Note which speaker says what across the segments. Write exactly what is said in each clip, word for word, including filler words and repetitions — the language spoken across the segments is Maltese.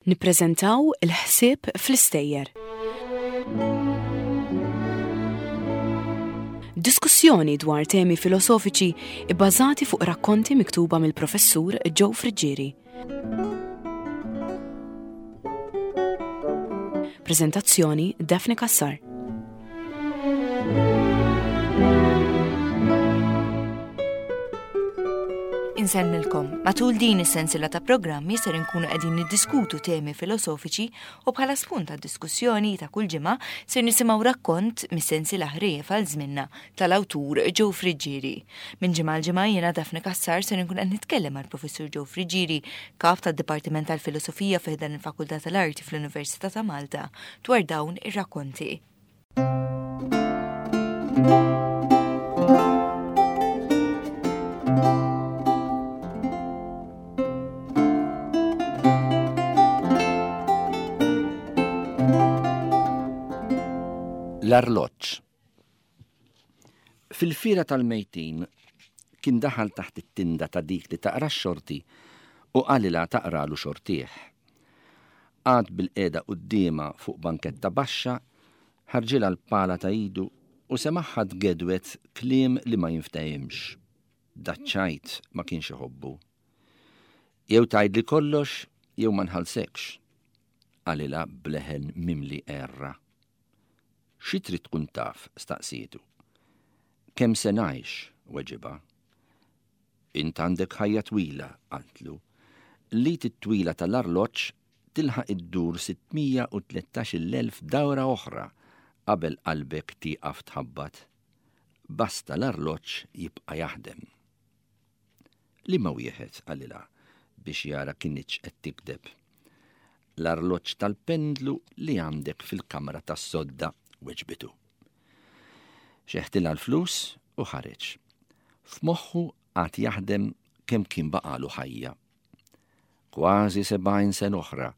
Speaker 1: Nippreżentaw il-ħsieb fl-istejjer. Diskussjoni dwar temi filosofiċi ibbażati fuq rakkonti miktuba mill-professur Joe Friggieri. Prezentazzjoni Daphne Cassar.
Speaker 2: Insellmilkom. Matul din is-sensiela ta' programmi ser inkunu qegħdin niddiskutu temi filosofiċi u bħala spunt għad-diskussjoni ta' kull ġimgħa ser nisimgħu rakkont mis-sensiela ħrejjef għal żmienna tal-awtur Joe Friggieri. Minn ġimgħa għal ġimgħa jiena Daphne Cassar ser inkun qed nitkellem mal-Professur Joe Friggieri, kap tad-Dipartiment tal-Filosofija fi ħdan il-Fakultà tal-Arti fl-Università ta' Malta, dwar dawn ir-rakkonti.
Speaker 3: L-arloġġ. Fil-fiera tal-mejtin kien daħal taħt it-tinda ta' dik li taqra x-xorti u qalilha taqralu xortih. Qagħad bil-qiegħda quddiemha fuq banketta baxxa, ħarġilha l-pala ta' idu u semagħha tgedwet kliem li ma jinftehimx. Daċ-ċajt ma kienx iħobbu. Jew tgħidli kollox jew ma nħallsekx, qalilha b'leħen mimli għerra. Xi trid tkun taf? Staqsietu. Kemm se ngħix? Weġibha. Int għandek ħajja twila, qaltlu. L-id it-twila tal-arloġġ tilħaq iddur sittmija u tlettax-il elf dawra oħra qabel qalbek tieqaf tħabbat. Basta l-arloġġ jibqa' jaħdem. Liema wieħed, qalilha, biex jara kinitx qed tikdeb. L-arloġġ tal-pendlu li għandek fil-kamra tas-sodda, weġbitu. Xeħtilha l-flus u ħareġ. F'moħħu għad jaħdem kemm kien baqalu ħajja. Kważi sebgħin sen oħra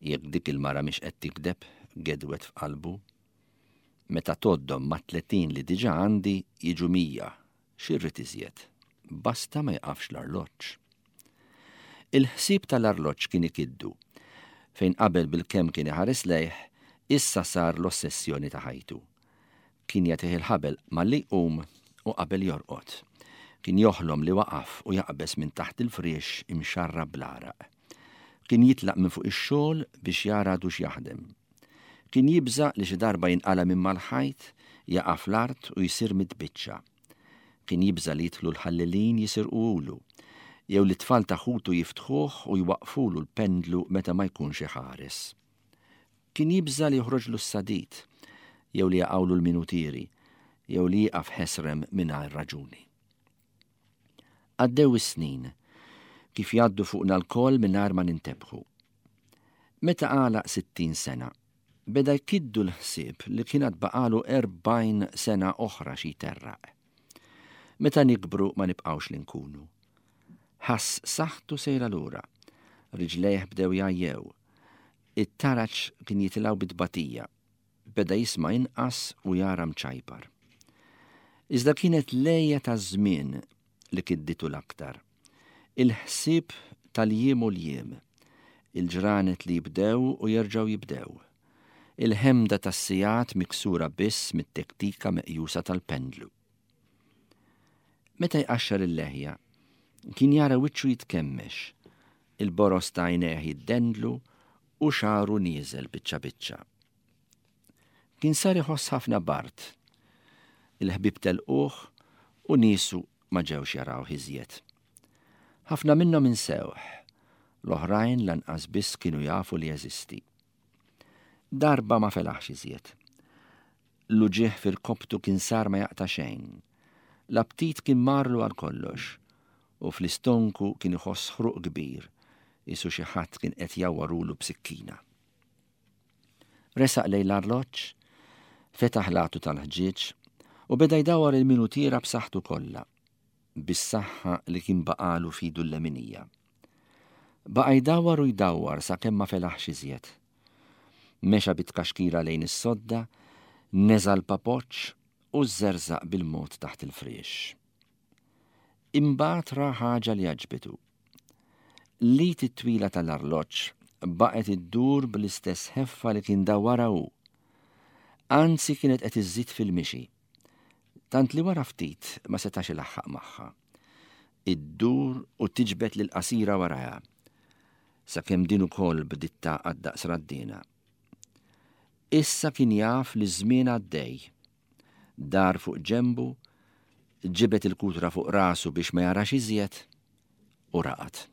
Speaker 3: jekk dik il-mara mhix qed tikdeb, gedwet f'qalbu. Meta toddhom ma' tletin li diġà għandi jiġu mija, xi rrid iżjed. Basta ma jqafx l-arloġġ. Il-ħsieb tal-arloġġ kien ikiddu, fejn qabel bil-kemm kien iħares lejh, issa sar l-ossessjoni ta' ħajtu. Kien jagħtih il-ħabel malli jqum u qabel jorqod. Kien joħlom li waqaf u jaqbes minn taħt il-friex imxarra bl-għaraq. Kien jitlaq minn fuq ix-xogħol biex jara għadux jaħdem. Kien jibża' li xi darba jinqala' minn mal-ħajt, jaqa' fl-art u jsir mitbiċċa. Kien jibża' li jidħlu l-ħallelin jisirquhulu, jew li t-tfal ta' ħutu jiftħuh u jwaqfulu l-pendlu meta ma jkunx iħares. Kien jibża' li joħroġlu s-sadid, jew li jaqgħulu l-minutieri, jew li jieqaf ħesrem mingħajr raġuni. Għaddew is-snin, kif jgħaddu fuqna lkoll mingħajr ma nintebħu. Meta għalaq sittin sena, beda jkiddu l-ħsieb li kien għad baqalu erbgħin sena oħra xi jterraq. Meta nikbru ma nibqgħux li nkunu. Ħass saħħtu sejra lura, riġlejh bdew jgħajjew, it-taraġ kien jitilgħu bit-tbatija, beda jisma' inqas u jara mċajpar. Iżda kienet lejja ta' żmien li kidditu l-aktar. Il-ħsieb tal-jiem u l-jiem, il-ġranet li jibdew u jerġgħu jibdew, il-ħemda tas-sigħat miksura biss mit-tektika meqjusa tal-pendlu. Meta jqaxxar il-leħja, kien jara wiċċu jitkemmex, il-boros ta' għajnejh jiddendlu u xagħru nieżel biċċa biċċa. Kien sar iħoss ħafna bard. Il-ħbieb telquh u niesu ma ġewx jarawh iżjed. Ħafna minnhom insewh, l-oħrajn lanqas biss kienu jafu li jeżisti. Darba ma felaħx iżjed. L-uġigħ fil-koptu kien sar ma jaqta' xejn. L-aptit kien marlu għal kollox u fl-istonku kien iħoss ħruq kbir, isu xi ħadd kien qed jawwarulu b'sikkina. Resaq lejn l-arloġġ, fetaħ l-għatu tal-ħġieġ u beda jdawwar il-minutiera b'saħħtu kollha, bis-saħħa li kien baqalu fidu l-leminija. Baqa' jdawwar u jdawwar sakemm ma felaħx iżjed. Mexa bit-tkaxkira lejn is-sodda, neża' l-papoċċ u żerżaq bil-mod taħt il-friex. Imbagħad ra ħaġa li għaġbitu. L-id it-twila tal-arloġġ Baqgħet iddur bl-istess ħeffa li kien dawwarha hu. Anzi kienet qed iżżid fil-mixi. Tant li wara ftit ma setax ilaħħaq magħha. Iddur u tiġbed lil qasira warajha. Sakemm din ukoll bdiet tagħqad daqs raddina. Issa kien jaf li ż-żmien għaddej. Dar fuq ġenbu, ġibed il-kutra fuq rasu biex ma jarax iżjed u raqad.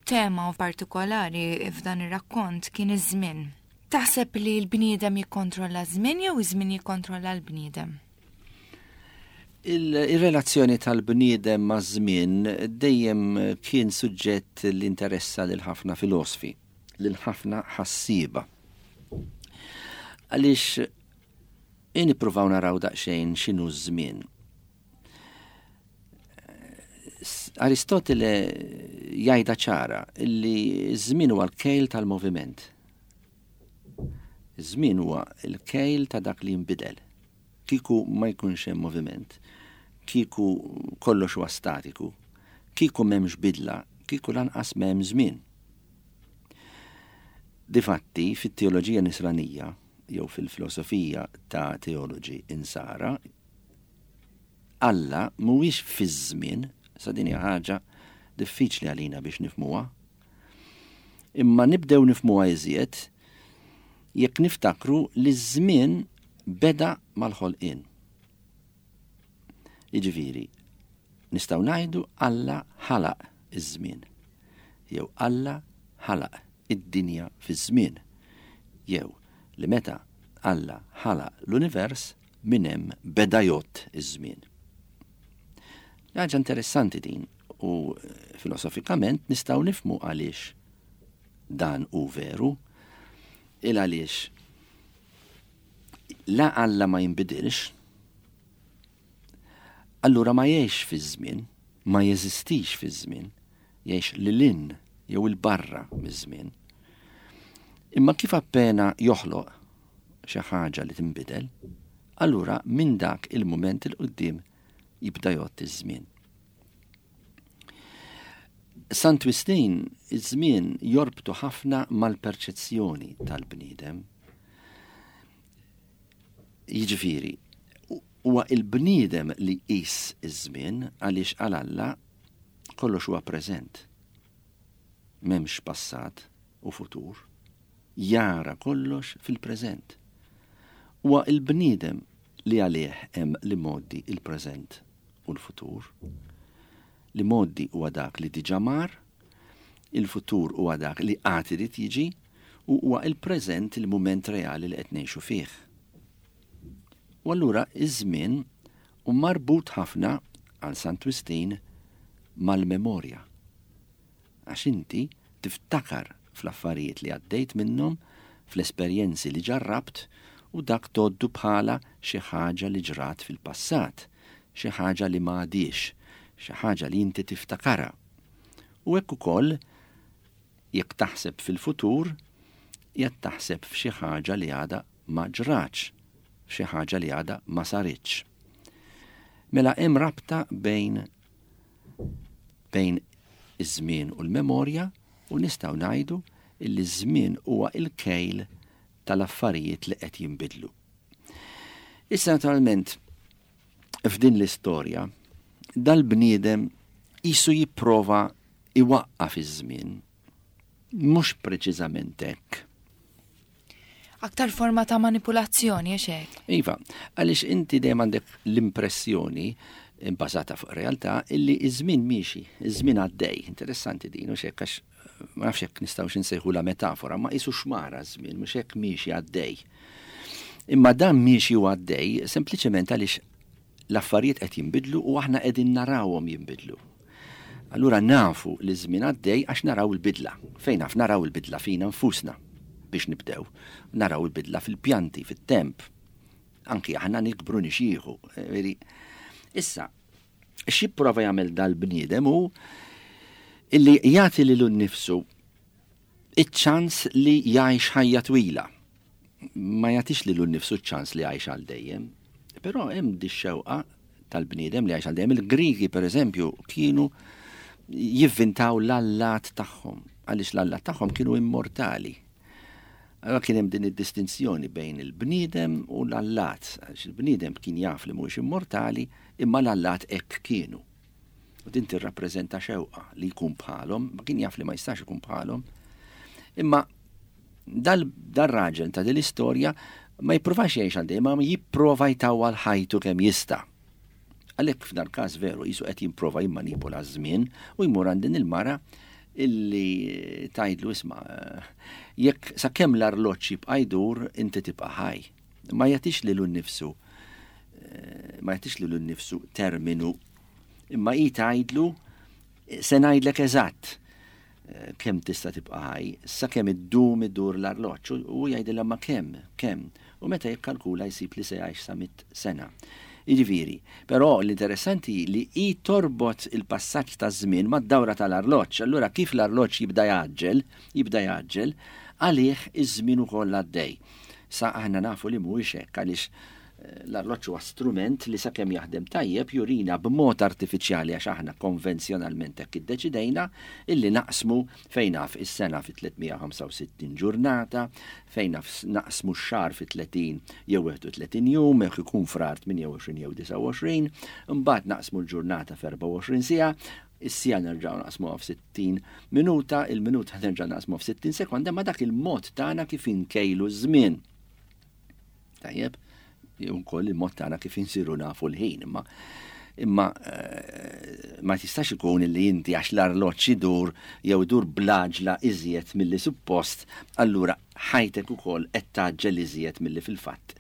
Speaker 2: Tema partikolari f'dan ir-rakkont kien iż-żmien. Taħseb li l-bniedem jikkontrolla ż-żmien jew iż-żmien jikkontrolla l-bniedem?
Speaker 3: Il-relazzjoni tal-bniedem maż-żmien dejjem kien suġġett li interessa lil ħafna filosfi, lil ħafna ħassieba. Għaliex nippruvaw naraw daqsxejn x'inhu ż-żmien. Aristotele jgħidha ċara li ż-żmien huwa l-kejl tal-moviment. Iż-żmien huwa l-kejl ta' dak li jinbidel. Kieku ma jkunx hemm moviment, kieku kollox huwa statiku, kieku m'hemmx bidla, kieku lanqas m'hemm żmien. Difatti, fit-teoloġija nisranija jew fil-filosofija ta' teoloġi insara, Alla mhuwiex fiż-żmien, sa din hija ħaġa diffiċli għalina biex nifhmuha. Imma nibdew nifhmuha iżjed jekk niftakru li ż-żmien beda mal-ħolqien. Jiġifieri, nistgħu ngħidu Alla ħalaq iż-żmien, jew Alla ħalaq id-dinja fiż-żmien, jew li meta Alla ħalaq l-univers minn hemm beda jgħodd iż-żmien. Ħaġa interessanti din u filosofikament nistgħu nifhmu għaliex dan hu veru, il għaliex la Alla ma jinbidilx, allura ma jgħix fiż-żmien, ma jeżistix fiż-żmien, jgħix lil hinn jew il-barra miż-żmien. Imma kif appena joħloq xi ħaġa li tinbidel, allura minn dak il-mument il quddiem jibda jgħodd iż-żmien. Sant Wistin iż-żmien jorbtu ħafna mal-perċezzjoni tal-bniedem. Jiġifieri, huwa il-bniedem li jqis iż-żmien għaliex għal Alla kollox huwa preżent. M'hemmx passat u futur. Jara kollox fil-preżent. Huwa il-bniedem li għalih hemm l-imgħoddi, il-preżent u l-futur. L-imgħoddi huwa dak li diġà mar, il-futur huwa dak li għad irid jiġi, u huwa il-preżent, il-mument reali li qed ngħixu fih. U allura iż-żmien hu marbut ħafna għal Sant Wistin mal-memorja. Għax inti tiftakar fl-affarijiet li għaddejt minnhom, fl-esperjenzi li ġarrabt, u dak tgħoddu bħala xi ħaġa li ġrat fil-passat, xi ħaġa li ma għadix, xi ħaġa li inti tiftakarha. U hekk ukoll jekk taħseb fil-futur, jekk taħseb f'xi ħaġa li għadha ma ġratx, f'xi ħaġa li għadha ma saritx. Mela hemm rabta bejn, bejn iż-żmien u l-memorja, u nistgħu ngħidu li ż-żmien huwa il-kejl tal-affarijiet li qed jinbidlu. Issa naturalment f'din l-istorja dal-bniedem qisu jipprova iwaqqaf iż-żmien, mhux preċiżament hekk.
Speaker 2: Aktar forma ta' manipulazzjoni, għax hekk?
Speaker 3: Iva, għaliex inti dejjem għandek l-impressjoni bbażata fuq realtà illi iż-żmien miexi, iż-żmien għaddej. Interessanti din, mhux hekk, għax ma nafx hekk nistgħux insejħu la metafora, ma qisu xmara żmien, mhux hekk miexi għaddej. Imma dan miexi u għaddej sempliċement għaliex l-affarijiet qed jinbidlu u aħna qegħdin narawhom jinbidlu. Allura nafu li żmien għaddej għax naraw il-bidla. Fejn naf naraw il-bidla fina nfusna biex nibdew. Naraw il-bidla fil-pjanti, fit-temp. Anki aħna nikbru nixieħu. Veri. Issa, x'jipprova jagħmel dal-bniedem hu illi jagħti lilu nnifsu iċ-ċans li jgħix ħajja twila. Ma jagħtix lilu nnifsu ċ-ċans li jgħix għal dejjem. Però hemm di xewqa tal-bniedem li jgħix għal dejjem. Il-Grigi, per eżempju, kienu jivvintaw l-allat tagħhom, għaliex l-allat tagħhom kienu immortali. Allora kien hemm din id-distinzjoni bejn il-bniedem u l-allat, għaliex il-bniedem kien jaf li mhuwiex immortali, imma l-allat hekk kienu. U din tirrappreżenta xewqa li jkun bħalhom, ma kien jaf li ma jistax ikun bħalhom. Imma dal-raġel ta' din l-istorja ma jippruvax jgħix għal dejjem, ma jipprova jtawwal ħajtu kemm jista'. Għalhekk f'dal każ veru qisu qed jipprova jimmanipula ż-żmien u jmur għand din il-mara illi tgħidlu, "Isma', jekk sakemm l-arloġġ jibqa' jdur, inti tibqa' ħaj." Ma jagħtix lilu nnifsu ma jagħtix lilu nnifsu terminu, imma hi tgħidlu, "Se ngħidlek eżatt kemm tista' tibqa' ħaj, sakemm iddum idur l-arloġġ." U jgħidilha, "Ma kemm, kemm?" U meta jikkalkula jsib li se jgħix sa mitt sena. Jiġifieri, però l-interessanti li hi torbot il-passaġġ ta' żmien mad-dawra tal-arloġġ. Allura kif l-arloġġ jibda jgħaġġel, jibda jgħaġġel, għalih iż-żmien ukoll għaddej. Sa aħna nafu li mhuwiex hekk, għaliex l-arloġġ huwa strument li sakemm jaħdem tajjeb jurina b'mod artifiċjali, għax aħna konvenzjonalment hekk iddeċidejna illi naqsmu, fejn naf, is-sena fi tliet mija u ħamsa u sittin ġurnata, fejn naf, naqsmu x-xahar fi tletin jew wieħed u tletin jum, jekk ikun Frar tmienja u għoxrin jew disgħa u għoxrin, imbagħad naqsmu l-ġurnata f'erbgħa u għoxrin siegħa, is-siegħa nerġgħu naqsmuha f'sittin minuta, il-minuta nerġgħu naqsmuha f'sittin sekonda, ma dak il-mod tagħna kif inkejlu ż-żmien. Tajjeb, ukoll il-mod tagħna kif insiru nafu l-ħin, imma imma ma tistax ikun li inti għax l-arloġġ idur jew idur bl-għaġla iżjed milli suppost, allura ħajtek ukoll qed tgħaġġel iżjed milli fil-fatt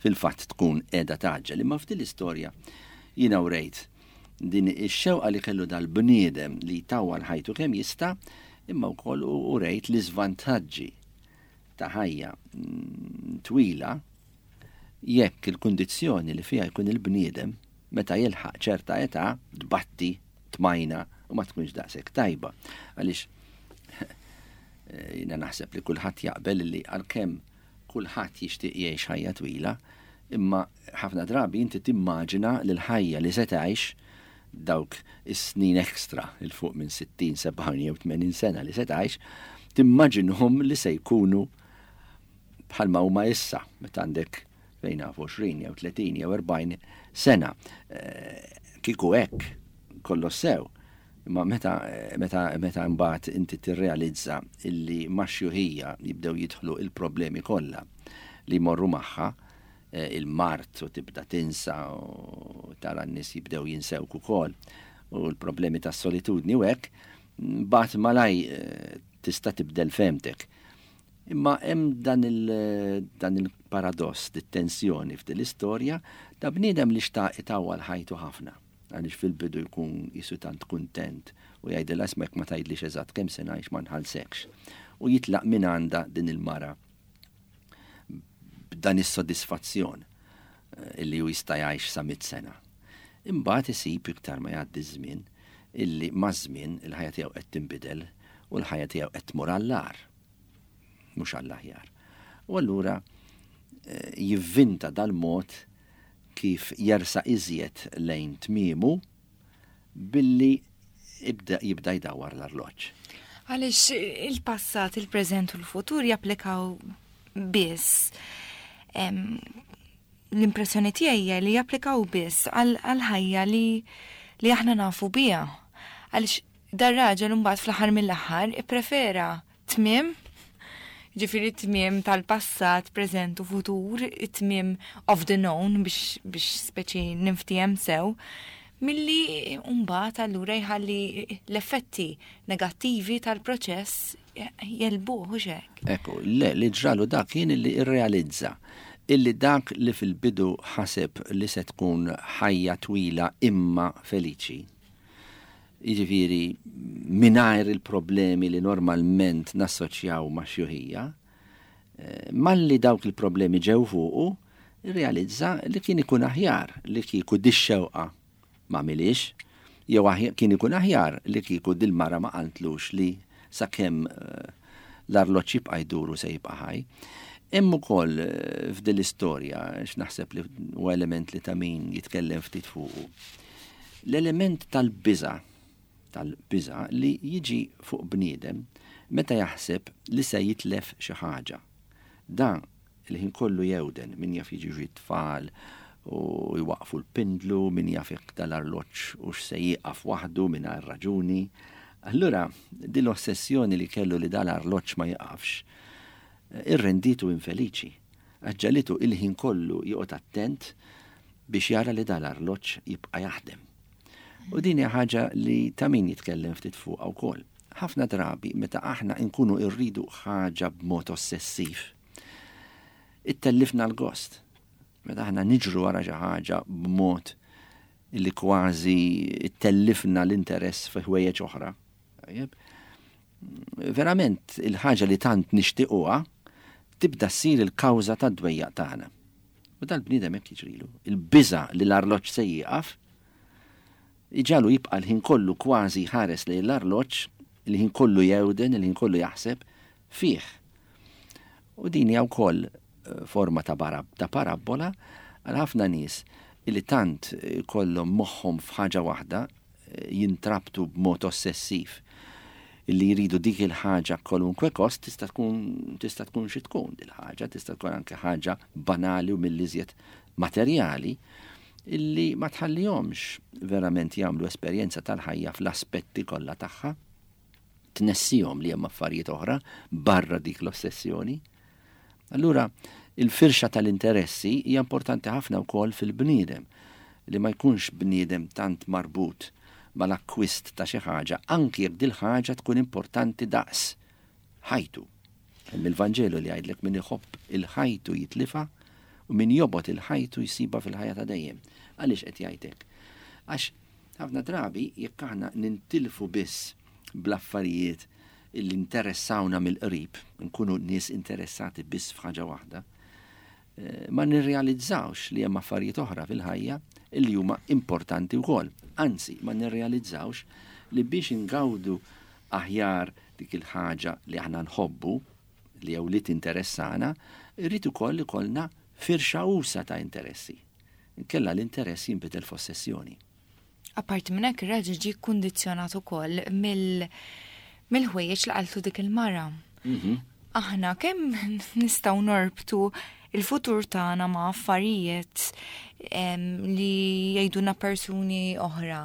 Speaker 3: fil-fatt tkun qiegħda tgħaġġel. Imma f'din l-istorja jiena wrejt din ix-xewqa li kellu dal-bniedem li jtawwal ħajtu kemm jista', imma wkoll urejt l-iżvantaġġi ta' ħajja twila jekk il-kundizzjoni li fiha jkun il-bniedem meta jilħaq ċerta età tbatti, tmajna u ma tkunx daqshekk tajba. Għaliex jiena naħseb li kulħadd jaqbel li għalkemm kulħadd jixtieq jgħix ħajja twila, imma ħafna drabi inti timmaġina li l-ħajja li se tgħix, dawk is-snin ekstra 'il fuq minn sittin, sebgħin jew tmenin sena li se tgħix, timmaġinhom li se jkunu bħalma huma issa meta għandek, fejn naf, għoxrin jew tletin jew erbgħin sena. Kieku hekk kollox sew. Imma meta meta meta mbagħad inti tirrealizza illi max-xjuħija jibdew jidħlu il-problemi kollha li jmorru magħha, il-mard, u tibda tinsa u tara n-nies jibdew jinsewk ukoll, u l-problemi tas-solitudni u hekk, mbagħad malaj tista' tibdel fehmtek. Imma hemm dan il-paradoss, dit-tensjoni f'din l-istorja ta' bniedem li xtaq itawwal ħajtu ħafna. Għaliex fil-bidu jkun qisu tant kuntent u jgħidilha, "Isma', ma tgħidlix eżatt kemm se ngħix, ma nħallsekx." U jitlaq minn għandha din il-mara b'dan is-sodisfazzjon illi hu jista' jgħix sa mitt sena. Imbagħad isib iktar ma jgħaddi żmien illi maż-żmien il-ħajja tiegħu qed tinbidel u l-ħajja tiegħu qed tmur għall-agħar, mhux għall-aħjar. U allura jivvinta dal-mod kif jersaq iżjed lejn tmiemu billi ibda jibda jdawwar l-arloġġ.
Speaker 2: Għaliex il-passat, il-preżent u l-futur japplikaw biss, l-impressjoni tiegħi hija li japplikaw biss għal ħajja li li aħna nafu biha. Għaliex dar-raġel mbagħad fl-aħħar mill-aħħar ipprefera tmiem, ġifieri tmiem tal-passat, preżent u futur, it-tmiem of the known biex, biex speċi ninftiehem sew, milli mbagħad allura jħalli l-effetti negattivi tal-proċess jegħlbuh, u hekk.
Speaker 3: Ekku, le, li ġralu dak kien li irrealizza illi dak li fil-bidu ħaseb li se tkun ħajja twila imma feliċi, jiġifieri mingħajr il-problemi li normalment nassoċjaw ma' xjuħija, malli dawk il-problemi ġew fuqu, irrealizza li kien ikun aħjar li kieku dix-xewqa ma għamilhiex, jew kien ikun aħjar li kieku dil-mara ma qaltlux li sakemm L-arloġġ jibqa' jduru se jibqa' ħaj. Hemm ukoll f'din l-istorja, x'naħseb li huwa element li ta' min jitkellem ftit fuqu. L-element tal-biża', tal-biża' li jiġi fuq bniedem meta jaħseb li se jitlef xi ħaġa. Dan il-ħin kollu jewden, min jaf jiġi tfal u jwaqfu l-pindlu, min jaf jekk dal-arloġġ u x'se jieqaf waħdu mingħajr raġuni. Allura, din l-ossessjoni li kellu li dal-arloġġ ma jieqafx, irrenditu infeliċi. Ġagħlitu il-ħin kollu joqgħod attent biex jara li dal-arloġġ jibqa' jaħdem. U din hija ħaġa li ta' min jitkellem ftit fuqha wkoll. Ħafna drabi meta aħna nkunu rridu ħaġa b'mod ossessiv, ittellifna l-gost. Meta aħna niġru wara xi ħaġa b'mod li kważi ittellifna l-interess fi ħwejjeġ oħra. Tajjeb? Verament il-ħaġa li tant nixtiequha tibda ssir il-kawża tad-dwejjaq tagħna. U dal-bniedem hekk jiġrilu. Il-biża' li l-arloġġ se jieqaf iġagħlu jibqa' l-ħin kollu kważi ħares lejn l-arloġġ, il-ħin kollu jewden, il-ħin kollu jaħseb fih. U din hija wkoll forma ta' ta' parabbola għal ħafna nies li tant kollhom moħħhom f'ħaġa waħda jintrabtu b'mod ossessiv illi jridu dik il-ħaġa kwalunkwe kost, tista' tkun tista' tkun xi tkun dil-ħaġa, tista' tkun anke ħaġa banali u mill-iżjed materjali illi ma tħallihomx verament jagħmlu esperjenza tal-ħajja fl-aspetti kollha tagħha, tnessihom li hemm affarijiet oħra barra dik l-ossessjoni. Allura, il-firxa tal-interessi hija importanti ħafna wkoll fil-bniedem, li ma jkunx bniedem tant marbut mal-akkwist ta' xi ħaġa, anki jekk dil-ħaġa tkun importanti daqs ħajtu. Hemm il-Vanġelu li jgħidlek min iħobb il-ħajtu jitlifa u min jobgħod il-ħajtu jsibha fil-ħajja ta' dejjem. Għaliex qed jgħidlek? Għax ħafna drabi jekk aħna nintilfu biss bl-affarijiet illi interessawna mill-qrib, nkunu nies interessati biss f'ħaġa waħda, ma nirrealizzawx li hemm affarijiet oħra fil-ħajja illi huma importanti wkoll. Anzi, ma nirrealizzawx li biex ingawdu aħjar dik il-ħaġa li aħna nħobbu, li jew li tinteressana, irrid ukoll ikollna firxa usa ta' interessi. Inkella l-interess jinbidel f'ossessjoni.
Speaker 2: Apparti minn hekk ir-raġel ġie kkundizzjonat ukoll mill mill-ħwejjeġ li qaltu dik il-mara. Aħna kemm nistgħu norbtu il-futur tagħna ma' affarijiet li jgħidulna persuni oħra,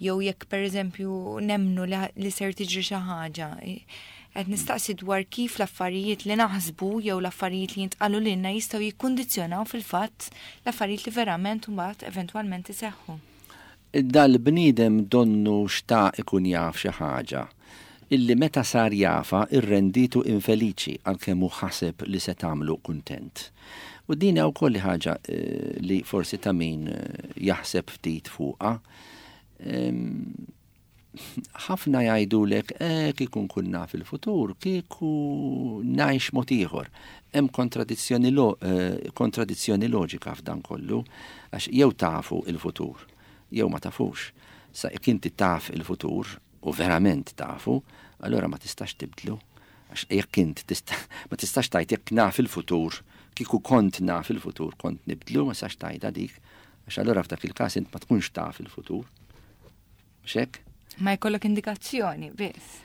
Speaker 2: jew jekk pereżempju nemmnu li ser tiġri xi ħaġa. Qed nistaqsi dwar kif l-affarijiet li naħsbu jew l-affarijiet li jintqalu lilna jistgħu jikkundizzjonaw fil-fatt l-affarijiet li verament mbagħad eventwalment iseħħu.
Speaker 3: Dal-bniedem donnu xtaq ikun jaf xi ħaġa illi meta sar jafa irrenditu infeliċi għalkemm hu ħaseb li se tagħmlu kuntent. U din hija wkoll ħaġa li forsi ta' min jaħseb ftit fuqha. Ħafna jgħidulek eh kieku nkun naf il-futur, kieku ngħix mod ieħor. Hemm kontradizzjoni lo, kontradizzjoni loġika f'dan kollu, għax jew tafu il-futur, jew ma tafux. Sa jekk inti taf il-futur u verament tafu, allora ma tistax tibdlu. Għax jekk int tista, ma tistax tgħid jekk naf il-futur, kieku kont naf il-futur, kont nibdlu, ma tistax tgħidha dik, għax allora f'dak il-każ int ma tkunx taf il-futur. Mhux hekk?
Speaker 2: Ma jkollok indikazzjoni biss.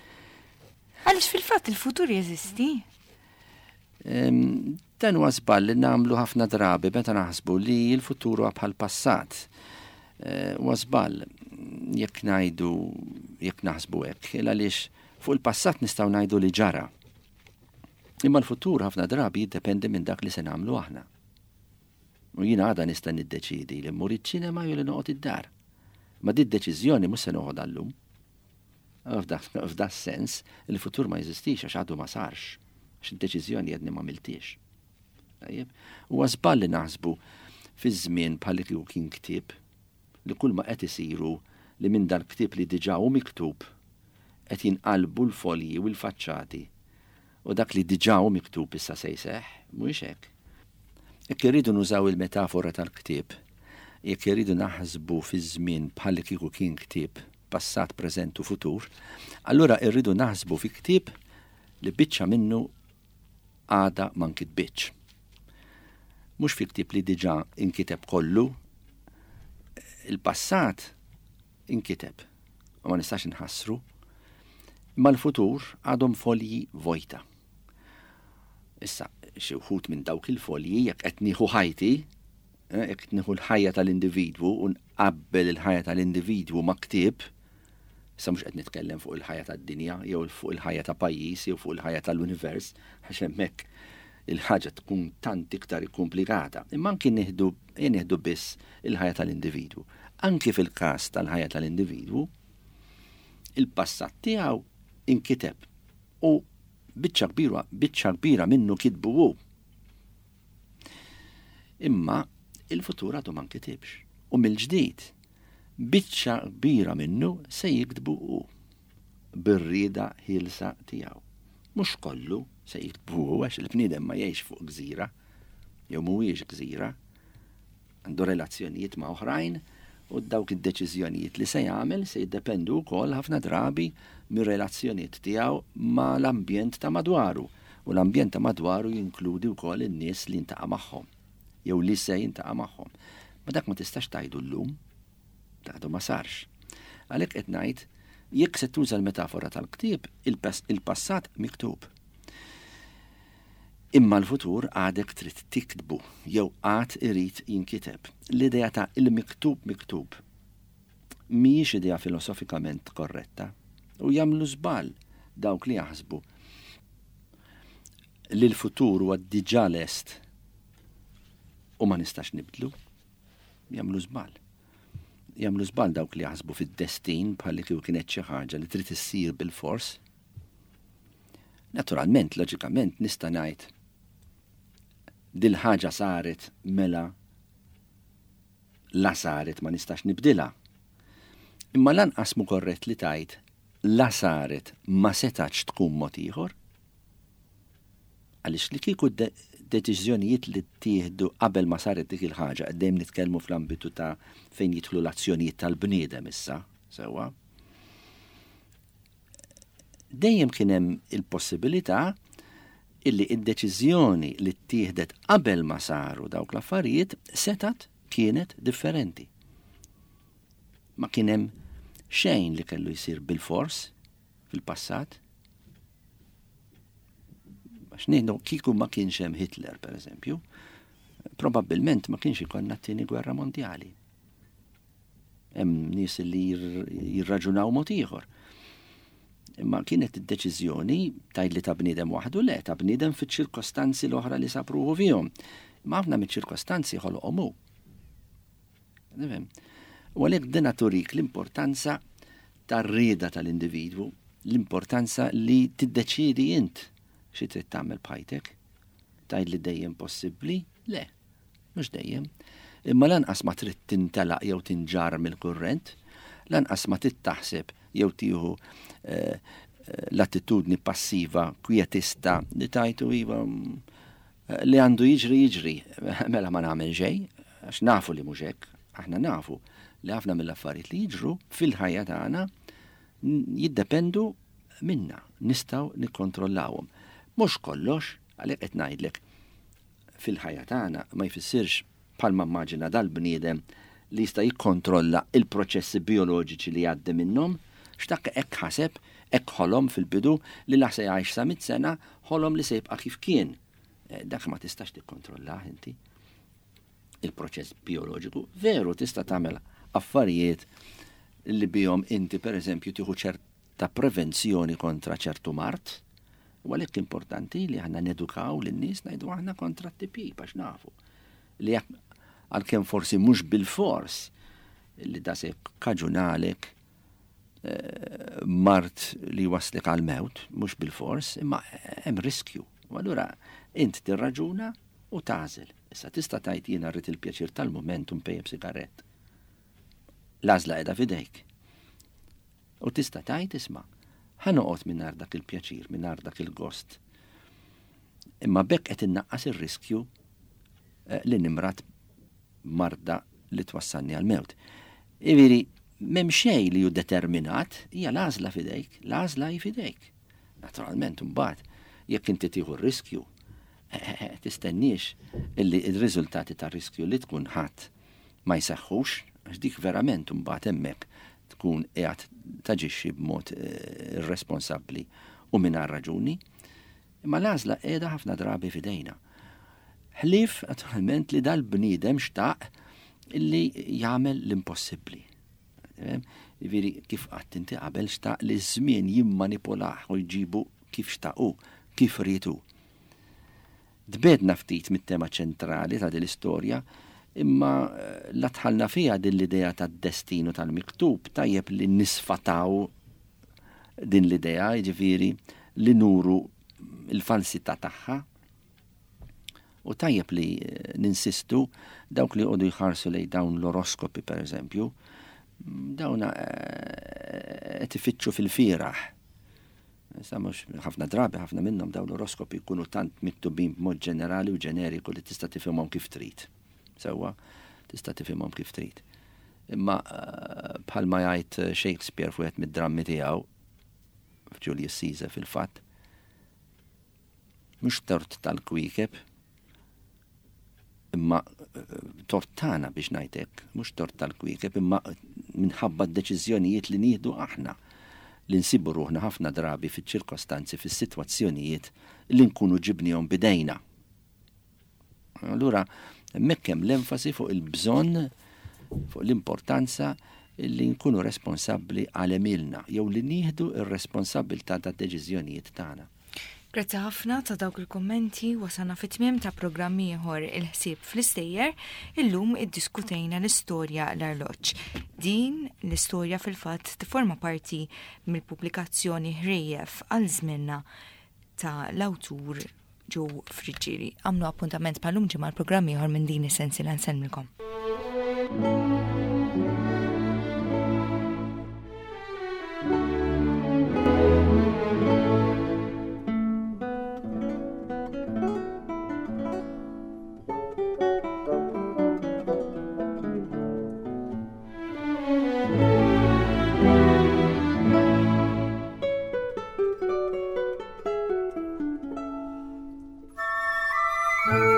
Speaker 2: Għaliex fil-fatt il-futur jeżisti?
Speaker 3: Dan huwa żball li nagħmlu ħafna drabi meta naħsbu li l-futur huwa bħal passat. Huwa żball jekk ngħidu jekk naħsbu hekk, għaliex fuq il-passat nistgħu ngħidu li ġara. Imma l-futur ħafna drabi jiddependi minn dak li se nagħmlu aħna. U jiena għada nista' niddeċiedi li mmur iċ-ċinema jew li noqgħod id-dar. Ma di d-deċiżjoni mhux se noħodha llum. F'da sens, il-futur ma jeżistix għax għadu ma sarx, għax id-deċiżjoni għadni ma għamiltiex. Tajjeb? Huwa żball li naħsbu fiż-żmien bħal kieku kien ktieb li kull ma qed isiru li minn dan ktieb li diġà hu miktub qed jinqalbu l-folji u l-faċċati u dak li diġà hu miktub issa se jseħħ, mhuwiex hekk. Jekk irridu nużaw il-metafora tal-ktieb, jekk irridu naħsbu fiż-żmien bħal kieku kien ktieb passat, preżent u futur, allura irridu naħsbu fi ktieb li biċċa minnu għada ma nkitbitx. Mhux fi ktieb li diġà inkiteb kollu, il-passat inkiteb, u ma nistax inħassru, imma l-futur għadhom folji vojta. Issa, xi wħud minn dawk il-folji, jekk qed nieħu ħajti, eh, jekk qed nieħu l-ħajja tal-individwu u nqabbel il-ħajja tal-individwu ma' ktieb, issa mhux qed nitkellem fuq il-ħajja tad-dinja, jew fuq il-ħajja ta' pajjiż, jew fuq il-ħajja tal-univers, għax hemmhekk il-ħaġa tkun tant iktar komplikata. Imma anki nieħdu nieħdu biss il-ħajja tal-individwu. Anki fil-każ tal-ħajja tal-individwu, il-passat tiegħu inkiteb u biċċa kbira, biċċa kbira minnu kitbu hu. Imma il-futur għadu ma nkitibx. U mill-ġdid, biċċa kbira minnu se jiktbu hu bir-rieda ħielsa tiegħu. Mhux kollu se jiktbu hu, għax il-bniedem ma jgħix fuq gżira, jew mhuwiex gżira, għandu relazzjonijiet ma' oħrajn, u dawk id-deċiżjonijiet li se jagħmel se jiddependu wkoll ħafna drabi mir-relazzjonijiet tiegħu ma' l-ambjent ta' madwaru. U l-ambjent ta' madwaru jinkludi wkoll in-nies li jintaqa' magħhom, jew li se jintaqa' magħhom. Ma dak ma tistax tgħidu llum, dak għadu ma sarx. Għalhekk qed ngħid, jekk se tuża l-metafora tal-ktieb, il-passat miktub. Imma l-futur għadek trid tiktbu, jew għad irid jinkiteb. L-idea ta' il-miktub miktub mhijiex idea filosofikament korretta, u jagħmlu żball dawk li jaħsbu li l-futur huwa diġà lest u ma nistax nibdlu. Jagħmlu żball. Jagħmlu żball dawk li jaħsbu fid-destin bħalli kieku kienet xi ħaġa li trid issir bil-fors. Naturalment, loġikament, nista' ngħid dil-ħaġa saret mela la saret ma nistax nibdilha. Imma lanqas mu korrett li tgħid la saret ma setax tkun mod ieħor. Għaliex li kieku deċiżjonijiet li ttieħdu qabel ma saret dik il-ħaġa, dejjem nitkellmu fl-ambitu ta' fejn jidħlu l-azzjonijiet tal-bniedem issa, sewwa. Dejjem kien hemm il-possibilità illi id-deċiżjoni li ttieħdet qabel ma saru dawk l-affarijiet setat kienet differenti. Ma kien hemm xejn li kellu jsir bil-fors fil-passat. Għax ngħidu kieku ma kienx hemm Hitler, per eżempju, probabbilment ma kienx ikollna t-tieni gwerra mondjali. Hemm nies li jirraġunaw mod ieħor. Imma kienet id-deċiżjoni tgħid li ta' bniedem waħdu, le, ta' bniedem fiċ-ċirkostanzi l-oħra li sapruħu fihom. Imma ħafna miċ-ċirkostanzi ħoloqhom hu. Nifhem. U għalhekk dina turik l-importanza tar-rieda tal-individwu, l-importanza li tiddeċiedi int xi trid tagħmel b'ħajtek. Tgħid li dejjem possibbli? Le, mhux dejjem. Imma lanqas ma trid tintelaq jew tinġar mill-kurrent, lanqas ma trid taħseb jew tieħu, eh, l-attitudni passiva, kwietista, li tajtu iva, li għandu jiġri jiġri, mela ma nagħmel xejn, għax nafu li mhux hekk, aħna nafu li ħafna mill-affarijiet li jiġru fil-ħajja tagħna jiddependu minna, nistgħu nikkontrollawhom. Mhux kollox, għalhekk qed ngħidlek, fil-ħajja tagħna ma jfissirx bħalma immaġina dal-bniedem li jista' jikkontrolla il-proċessi bioloġiċi li jgħaddi minnhom, x'dak hekk ħaseb, hekk ħolom fil-bidu li la se jgħix sa mitt sena, ħolom li se jibqa' kif kien. Eh, dak ma tistax tikkontrollah inti. Il-proċess bioloġiku veru tista' tagħmel affarijiet li bihom inti pereżempju tieħu ċerta prevenzjoni kontra ċertu mard. U għalhekk importanti li aħna nedukaw lin-nies, ngħidu aħna kontra t-T B biex nafu li jekk għalkemm forsi mhux bil-fors li da se kaġunalek, eh, mard li waslek għal-mewt, mhux bil-fors, imma hemm riskju. U allura int tirraġuna u tagħżel. Issa tista' tgħid jiena rrid il-pjaċir tal-mument u npejjeb sigarett. L-għażla qiegħda f'idejk. U tista' tgħid isma' ħa noqgħod mingħajr dak il-pjaċir, mingħajr dak il-gost. Imma bekk qed innaqqas ir-riskju, eh, li nimrat marda li twassalni għal-mewt. Jiġifieri, m'hemm xejn li hu determinat, hija l-għażla f'idejk, l-għażla hi f'idejk. Naturalment, imbagħad, jekk inti tieħu r-riskju, tistenniex illi il-riżultati tar-riskju li tkun ħadd ma jseħħux, għax dik verament imbagħad hemmhekk tkun qiegħed taġixxi b'mod eh, irresponsabbli u mingħajr raġuni. Imma l-għażla qiegħda ħafna drabi f'idejna. Ħlief naturalment li dal-bniedem xtaq illi jagħmel l-impossibbli. Jiġifieri kif qatt inti qabel xtaq li ż-żmien jimmanipulah u jġibu kif xtaqu, kif rietu. Tbegħedna ftit mit-tema ċentrali ta' din l-istorja, imma eh, la dħalna fiha din l-idea tad-destinu tal-miktub, tajjeb li nisfataw din l-idea, jiġifieri li nuru il-falsità tagħha. U tajjeb li eh, ninsistu dawk li għodu jħarsu lejn dawn l-oroskopi per eżempju, dawn eh, qed ifittxu fil-fieragħ. Issa mhux ħafna drabi ħafna minnhom dawn l-oroskopi jkunu tant miktubin b'mod ġenerali u ġeneriku li tista' tifhimhom kif trid. Sewwa, tista' tifhimhom kif trid. Imma eh, bħalma jgħid Shakespeare fuq mid-drammi tiegħu f'Julius Caesar fil-fatt, mhux tort tal-kwiekeb, imma eh, tort tagħna biex ngħidlek, mhux tort tal-kwiekeb, imma minħabba d-deċiżjonijiet li nieħdu aħna li nsibu ruħna ħafna drabi fiċ-ċirkostanzi, fis-sitwazzjonijiet li nkunu ġibnihom bidejna. Allura, hemmhekk hemm l-enfasi fuq il-bżonn, fuq l-importanza li nkunu responsabbli għal għemilna, jew li nieħdu ir-responsabbiltà tad-deċiżjonijiet tagħna.
Speaker 2: Grazzi ħafna ta' dawk il-kommenti, wasalna fit-tmiem ta' programm ieħor il-ħsieb fl-istejjer, illum iddiskutejna l-istorja l-arloġġ. Din l-istorja fil-fatt tiforma parti mill-pubblikazzjoni Ħrejjef għal żmienna ta' l-awtur Joe Friggieri. Għamlu appuntament bħal-lum ġimgħa l-programm ieħor minn din is-sensiela nsellmilkom.
Speaker 4: Thank